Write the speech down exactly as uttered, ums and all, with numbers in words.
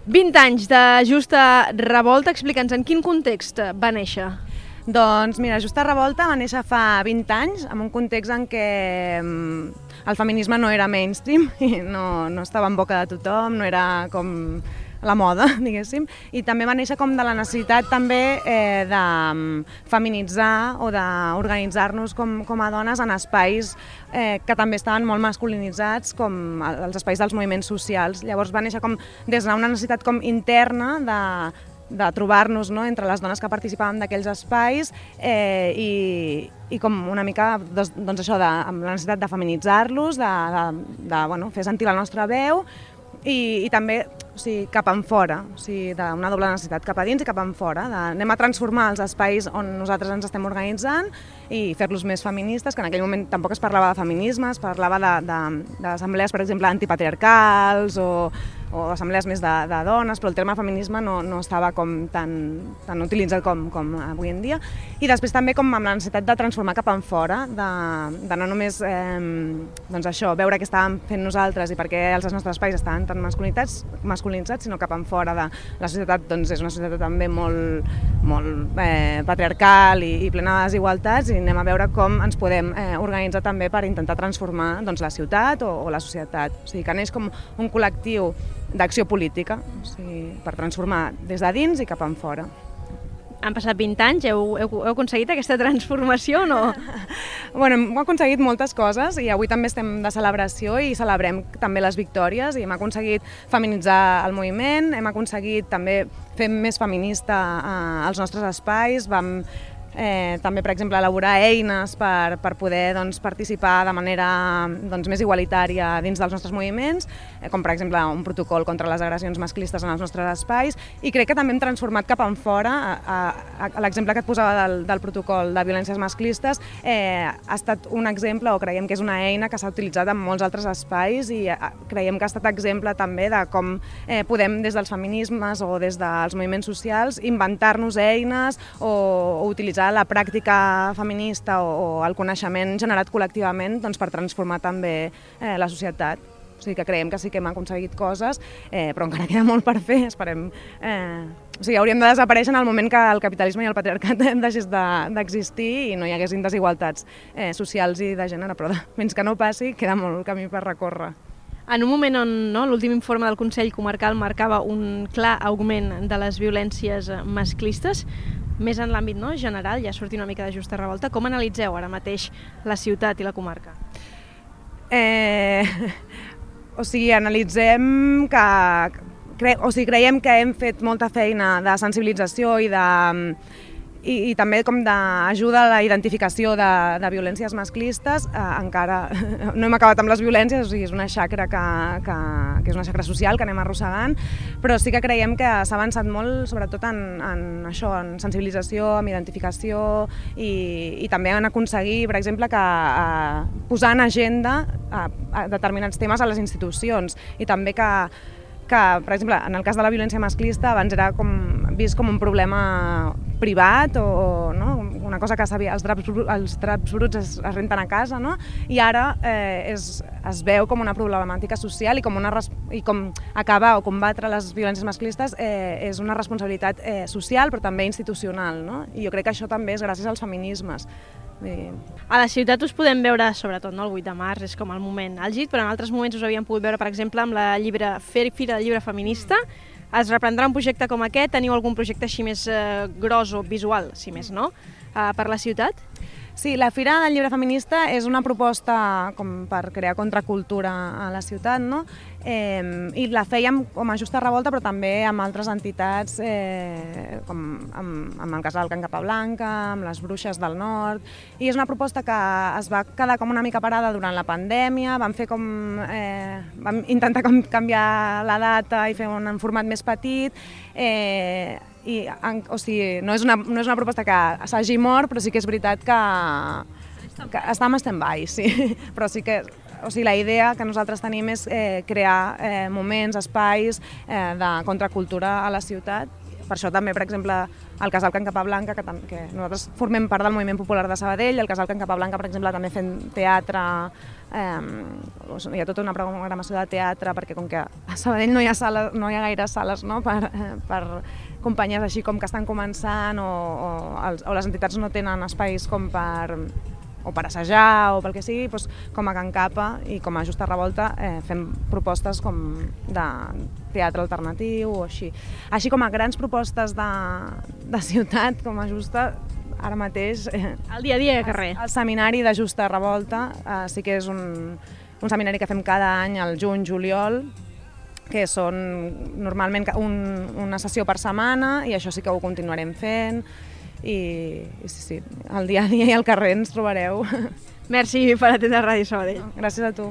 vint anys de Justa Revolta, explica'ns en quin context va néixer. Doncs mira, Justa Revolta va néixer fa vint anys, en un context en què el feminisme no era mainstream, i no, no estava en boca de tothom, no era com la moda, diguéssim, i també va néixer com de la necessitat també eh, de feminitzar o d'organitzar-nos com, com a dones en espais eh, que també estaven molt masculinitzats, com els espais dels moviments socials. Llavors va néixer com des d'una necessitat com interna de de trobar-nos, no?, entre les dones que participàvem d'aquells espais eh, i, i com una mica doncs, doncs això, de, amb la necessitat de feminitzar-los, de, de, de bueno, fer sentir la nostra veu i, i també o sigui, cap en fora, o sigui, d'una doble necessitat, cap a dins i cap en fora. De, anem a transformar els espais on nosaltres ens estem organitzant i fer-los més feministes, que en aquell moment tampoc es parlava de feminisme, es parlava d'assemblees, per exemple, antipatriarcals o o assemblees més de, de dones, però el terme feminisme no, no estava com tan, tan utilitzat com, com avui en dia. I després també com amb la necessitat de transformar cap en fora, de, de no només eh, doncs això, veure què estàvem fent nosaltres i per què els nostres espais estaven tan masculinitzats, masculinitzats sinó cap en fora de la societat. Doncs és una societat també molt, molt eh, patriarcal i, i plena de desigualtats, i anem a veure com ens podem eh, organitzar també per intentar transformar doncs, la ciutat o, o la societat. O sigui, que neix com un col·lectiu d'acció política, o sigui, per transformar des de dins i cap en fora. Han passat vint anys, heu, heu, heu aconseguit aquesta transformació o no? Bueno, hem aconseguit moltes coses i avui també estem de celebració i celebrem també les victòries i hem aconseguit feminitzar el moviment, hem aconseguit també fer més feminista eh, els nostres espais, vam Eh, també, per exemple, elaborar eines per, per poder doncs, participar de manera doncs, més igualitària dins dels nostres moviments, eh, com per exemple un protocol contra les agressions masclistes en els nostres espais, i crec que també hem transformat cap en fora. A, a, a l'exemple que et posava del, del protocol de violències masclistes eh, ha estat un exemple, o creiem que és una eina que s'ha utilitzat en molts altres espais, i eh, creiem que ha estat exemple també de com eh, podem des dels feminismes o des dels moviments socials inventar-nos eines o, o utilitzar la pràctica feminista o, o el coneixement generat col·lectivament doncs, per transformar també eh, la societat. O sigui que creiem que sí que hem aconseguit coses, eh, però encara queda molt per fer. Esperem, eh, o sigui, hauríem de desaparèixer en el moment que el capitalisme i el patriarcat deixés d'existir de, i no hi haguessin desigualtats eh, socials i de gènere, però de, fins que no passi queda molt camí per recórrer. En un moment on no, l'últim informe del Consell Comarcal marcava un clar augment de les violències masclistes, més en l'àmbit no, general, ja sortir una mica de Justa Revolta, com analitzeu ara mateix la ciutat i la comarca? Eh, o sigui, analitzem que... Cre, o sigui, creiem que hem fet molta feina de sensibilització i de... I, i també com d'ajuda a la identificació de, de violències masclistes. Eh, encara no hem acabat amb les violències, o sigui, és una xacra que, que, que és una xacra social que anem arrossegant, però sí que creiem que s'ha avançat molt, sobretot en, en això, en sensibilització, en identificació i, i també en aconseguir, per exemple, que eh, posar en agenda a, a determinats temes a les institucions, i també que que, per exemple, en el cas de la violència masclista abans era com, vist com un problema privat o no? Una cosa que sabia, els draps, els draps bruts es, es renten a casa, no? I ara eh, és, es veu com una problemàtica social i com, una, i com acabar o combatre les violències masclistes eh, és una responsabilitat eh, social però també institucional, no? I jo crec que això també és gràcies als feminismes. A la ciutat us podem veure, sobretot no? El vuit de març és com el moment àlgid, però en altres moments us havíem pogut veure, per exemple, amb la llibre, Fira del Llibre Feminista. Es reprendrà un projecte com aquest? Teniu algun projecte així més eh, gros o visual, si més no, eh, per la ciutat? Sí, la Fira del Llibre Feminista és una proposta com per crear contracultura a la ciutat, no? Eh, I la fèiem com a Justa Revolta, però també amb altres entitats, eh, com amb, amb el casal Can Capablanca, amb les Bruixes del Nord, i és una proposta que es va quedar com una mica parada durant la pandèmia. Vam fer com, eh, vam intentar com canviar la data i fer un format més petit, eh, i, o sigui, no és una, no és una proposta que s'hagi mort, però sí que és veritat que, que està en stand-by, sí. Però sí que, o sigui, la idea que nosaltres tenim és eh, crear eh, moments, espais eh, de contracultura a la ciutat. Per això també, per exemple, el Casal Can Capablanca, que, que nosaltres formem part del moviment popular de Sabadell, el Casal Can Capablanca, per exemple, també fent teatre, eh, hi ha tota una programació de teatre, perquè com que a Sabadell no hi ha, sala, no hi ha gaire sales, no?, per, per companyies així com que estan començant o, o, els, o les entitats no tenen espais com per, o per assajar o pel que sigui, doncs, com a Can Capa i com a Justa Revolta eh, fem propostes com de teatre alternatiu o així. Així com a grans propostes de, de ciutat, com a Justa, ara mateix... Eh, el dia a dia de carrer. El, el seminari de Justa Revolta eh, sí que és un, un seminari que fem cada any al juny-juliol, que són normalment un, una sessió per setmana, i això sí que ho continuarem fent, i, i sí, sí, el dia a dia i al carrer ens trobareu. Merci per atendre Ràdio Sabadell. Gràcies a tu.